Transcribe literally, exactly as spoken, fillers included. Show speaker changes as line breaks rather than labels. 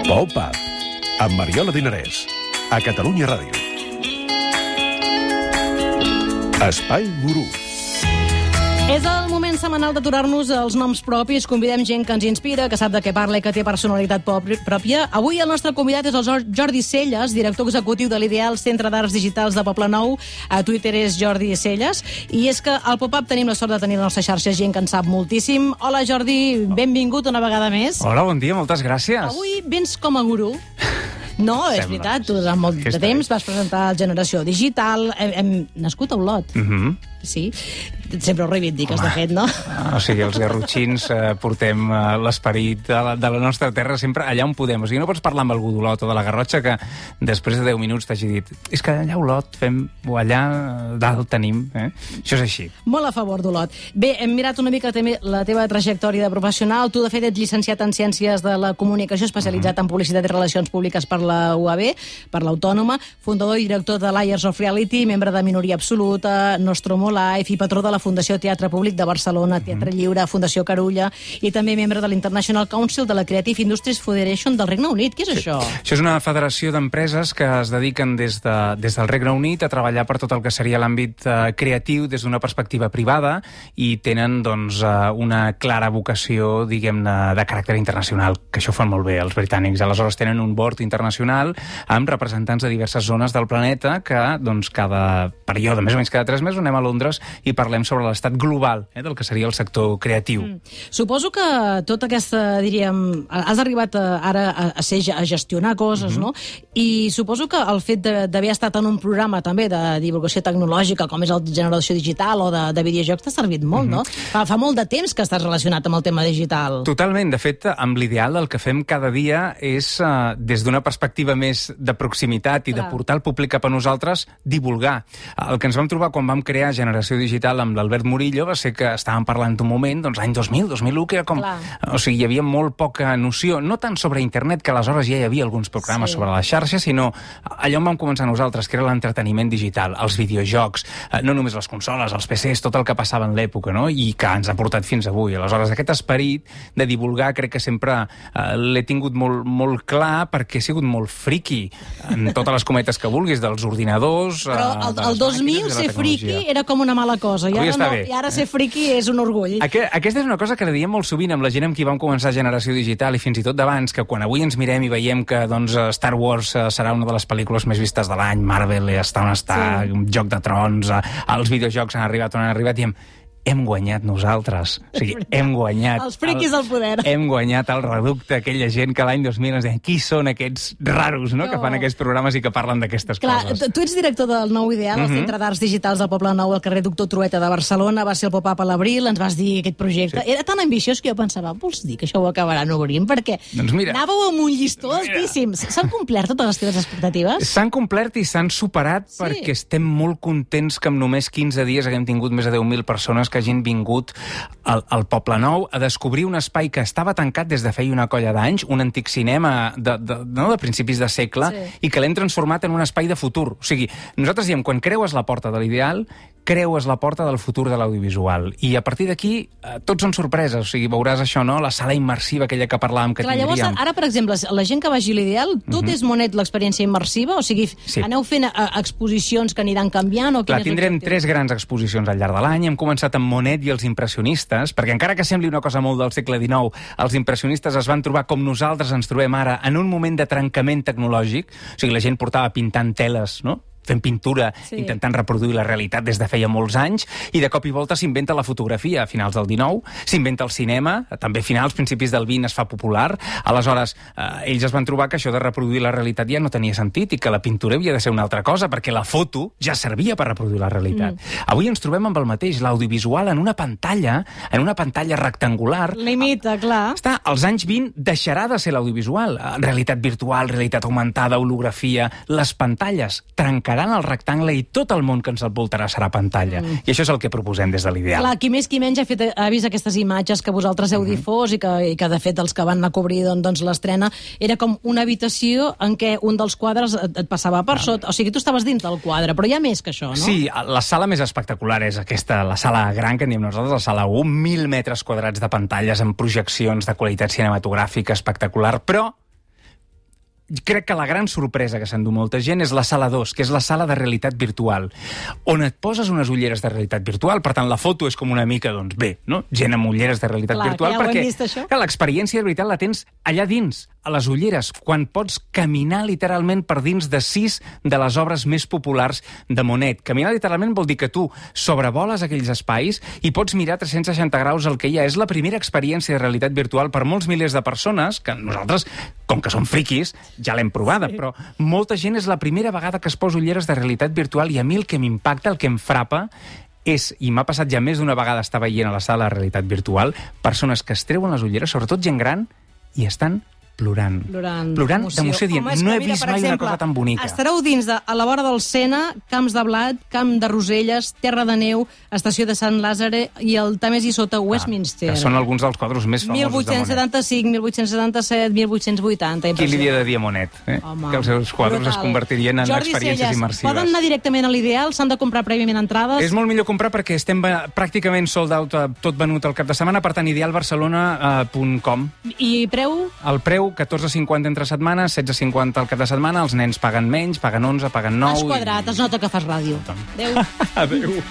Pop-Up, amb Mariola Dinarès, a Catalunya Ràdio. Espai Gurú.
És el moment setmanal d'aturar-nos els noms propis. Convidem gent que ens inspira, que sap de què parla i que té personalitat pròpia. Avui el nostre convidat és el Jordi Celles, director executiu de l'Ideal Centre d'Arts Digitals de Poblenou. A Twitter és Jordi Celles. I és que al Pop-Up tenim la sort de tenir a la nostra xarxa gent que en sap moltíssim. Hola, Jordi, benvingut una vegada més.
Hola, bon dia, moltes gràcies.
Avui vens com a gurú. No, és
Sembla.
veritat, tu durant molt de temps vas presentar Generació Digital, hem, hem nascut a Olot.
Mhm.
Sí, sempre ho reivindiques, de fet, no?
O sigui, els garrotxins eh, portem eh, l'esperit de, la, de la nostra terra sempre allà on podem. O sigui, no pots parlar amb algú d'Olot o de la Garrotxa que després de deu minuts t'hagi dit és que allà a Olot fem, o allà dalt tenim, eh? Això és així.
Molt a favor d'Olot. Bé, hem mirat una mica també la teva trajectòria de professional. Tu, de fet, ets llicenciat en Ciències de la Comunicació, especialitzat uh-huh. en Publicitat i Relacions Públiques per la U A B, per l'Autònoma, fundador i director de Layers of Reality, membre de Minoria Absoluta, Nostromo Life i patró de la Fundació Teatre Públic de Barcelona, Teatre Lliure, Fundació Carulla, i també membre de l'International Council de la Creative Industries Federation del Regne Unit. Què és
sí.
això?
Això és una federació d'empreses que es dediquen des, de, des del Regne Unit a treballar per tot el que seria l'àmbit eh, creatiu des d'una perspectiva privada i tenen doncs, eh, una clara vocació, diguem-ne, de caràcter internacional, que això ho fan molt bé els britànics. Aleshores tenen un board internacional amb representants de diverses zones del planeta que doncs, cada període, més o menys cada tres mesos, anem a Londres i parlem sobre l'estat global eh, del que seria el sector creatiu. Mm.
Suposo que tota aquesta, diríem, has arribat a, ara a, a, ser, a gestionar coses, mm-hmm. no? I suposo que el fet d'haver estat en un programa també de divulgació tecnològica, com és el Generació Digital o de, de videojocs, t'ha servit molt, mm-hmm. no? Fa, fa molt de temps que estàs relacionat amb el tema digital.
Totalment. De fet, amb l'Ideal el que fem cada dia és, uh, des d'una perspectiva més de proximitat i Clar. de portar el públic cap a nosaltres, divulgar. El que ens vam trobar quan vam crear Generació Digital amb l'Albert Murillo va ser que estàvem parlant d'un moment, doncs l'any dos mil, dos mil u, que era com... Clar. O sigui, hi havia molt poca noció, no tant sobre internet, que aleshores ja hi havia alguns programes sí. sobre la xarxa, sinó allò on vam començar nosaltres, que era l'entreteniment digital, els videojocs, no només les consoles, els P Cs, tot el que passava en l'època, no? I que ens ha portat fins avui. Aleshores, aquest esperit de divulgar crec que sempre eh, l'he tingut molt, molt clar perquè he sigut molt friqui en totes les cometes que vulguis, dels ordinadors...
Però el, el dos mil ser friqui era com una mala cosa. I ara, no, i ara ser friqui és un orgull.
Aquest, aquesta és una cosa que la diem molt sovint amb la gent amb qui vam començar Generació Digital i fins i tot d'abans, que quan avui ens mirem i veiem que doncs, Star Wars serà una de les pel·lícules més vistes de l'any, Marvel està on està, sí. Joc de Trons, els videojocs han arribat on han arribat, i hem... hem guanyat nosaltres. O sigui, hem guanyat...
Els friquis del poder.
Hem guanyat el reducte, aquella gent que l'any dos mil ens deien qui són aquests raros, no?, no. que fan aquests programes i que parlen d'aquestes coses.
Tu ets director del Nou Ideal, mm-hmm. el Centre d'Arts Digitals del Poblenou, al carrer Doctor Trueta de Barcelona, va ser el Pop-Up a l'abril, ens vas dir aquest projecte. Sí. Era tan ambiciós que jo pensava, vols dir que això ho acabaran obrint? Perquè
doncs mira,
anàveu amb un llistó altíssim. S'han complert totes les teves expectatives?
S'han complert i s'han superat sí. perquè estem molt contents que en només quinze dies haguem tingut més de deu mil persones que hagin vingut al, al Poblenou a descobrir un espai que estava tancat des de feia una colla d'anys, un antic cinema de, de, no, de principis de segle, sí. i que l'hem transformat en un espai de futur. O sigui, nosaltres diem, quan creues la porta de l'Ideal, creues la porta del futur de l'audiovisual. I a partir d'aquí, eh, tots són sorpreses. O sigui, veuràs això, no?, la sala immersiva, aquella que parlàvem que
Clar,
tindríem.
Llavors, ara, per exemple, la gent que vagi a l'Ideal, tot mm-hmm. és monet l'experiència immersiva? O sigui, sí. aneu fent a, a exposicions que aniran canviant? O
Clar, tindrem tres grans exposicions al llarg de l'any. Hem començat amb Monet i els impressionistes, perquè encara que sembli una cosa molt del segle dinou, els impressionistes es van trobar com nosaltres ens trobem ara, en un moment de trencament tecnològic. O sigui, la gent portava pintant teles, no?, fent pintura, sí. intentant reproduir la realitat des de feia molts anys, i de cop i volta s'inventa la fotografia a finals del dinou, s'inventa el cinema, també a finals, principis del vint es fa popular. Aleshores, eh, ells es van trobar que això de reproduir la realitat ja no tenia sentit i que la pintura havia de ser una altra cosa, perquè la foto ja servia per reproduir la realitat. Mm. Avui ens trobem amb el mateix, l'audiovisual en una pantalla, en una pantalla rectangular.
Limita, clar.
Està, als anys vint deixarà de ser l'audiovisual. Realitat virtual, realitat augmentada, holografia, les pantalles trencaran el rectangle i tot el món que ens envoltarà serà pantalla. Mm. I això és el que proposem des de l'Ideal.
Clar, qui més qui menys ha, fet, ha vist aquestes imatges que vosaltres heu mm-hmm. difós i que, i que, de fet, els que van anar a cobrir doncs, doncs, l'estrena, era com una habitació en què un dels quadres et, et passava per sota. O sigui, tu estaves dins del quadre, però hi ha més que això, no?
Sí, la sala més espectacular és aquesta, la sala gran que en diem nosaltres, la sala u, mil metres quadrats de pantalles amb projeccions de qualitat cinematogràfica espectacular, però crec que la gran sorpresa que s'endú molta gent és la sala dos, que és la sala de realitat virtual, on et poses unes ulleres de realitat virtual, per tant, la foto és com una mica, doncs bé, no? Gent amb ulleres de realitat
Clar,
virtual,
ja
perquè
vist,
l'experiència de veritat la tens allà dins, a les ulleres, quan pots caminar literalment per dins de sis de les obres més populars de Monet. Caminar literalment vol dir que tu sobrevoles aquells espais i pots mirar tres-cents seixanta graus el que hi ha. És la primera experiència de realitat virtual per molts milers de persones, que nosaltres, com que som friquis, ja l'hem provada, sí. Però molta gent és la primera vegada que es posa ulleres de realitat virtual i a mi el que m'impacta, el que em frapa, és, i m'ha passat ja més d'una vegada estar veient a la sala de realitat virtual, persones que es treuen les ulleres, sobretot gent gran, i estan plorant.
Plorant,
plorant d'emoció, dient,
Home,
no he
mira,
vist mai
exemple,
una cosa tan bonica.
Estareu dins de, a la vora del Sena, Camps de Blat, Camp de Roselles, Terra de Neu, Estació de Sant Làzare i el Tàmesi sota Westminster.
Ah, que són alguns dels quadres més famosos
mil vuit-cents setanta-cinc, mil vuit-cents setanta-set, mil vuit-cents vuitanta...
Qui li havia de dir a Monet? Eh?
Home,
que els seus quadres
brutal.
Es convertirien en
Jordi
experiències
Celles,
immersives.
Poden anar directament a l'Ideal? S'han de comprar prèviament entrades?
És molt millor comprar perquè estem pràcticament sold out, tot venut el cap de setmana, per tant, ideal barcelona punt com.
I preu?
El preu, catorze cinquanta entre setmanes, setze cinquanta al cap de setmana, els nens paguen menys, paguen onze, paguen nou...
Has quadrat, i... es nota que fas ràdio. Adéu.
Adéu.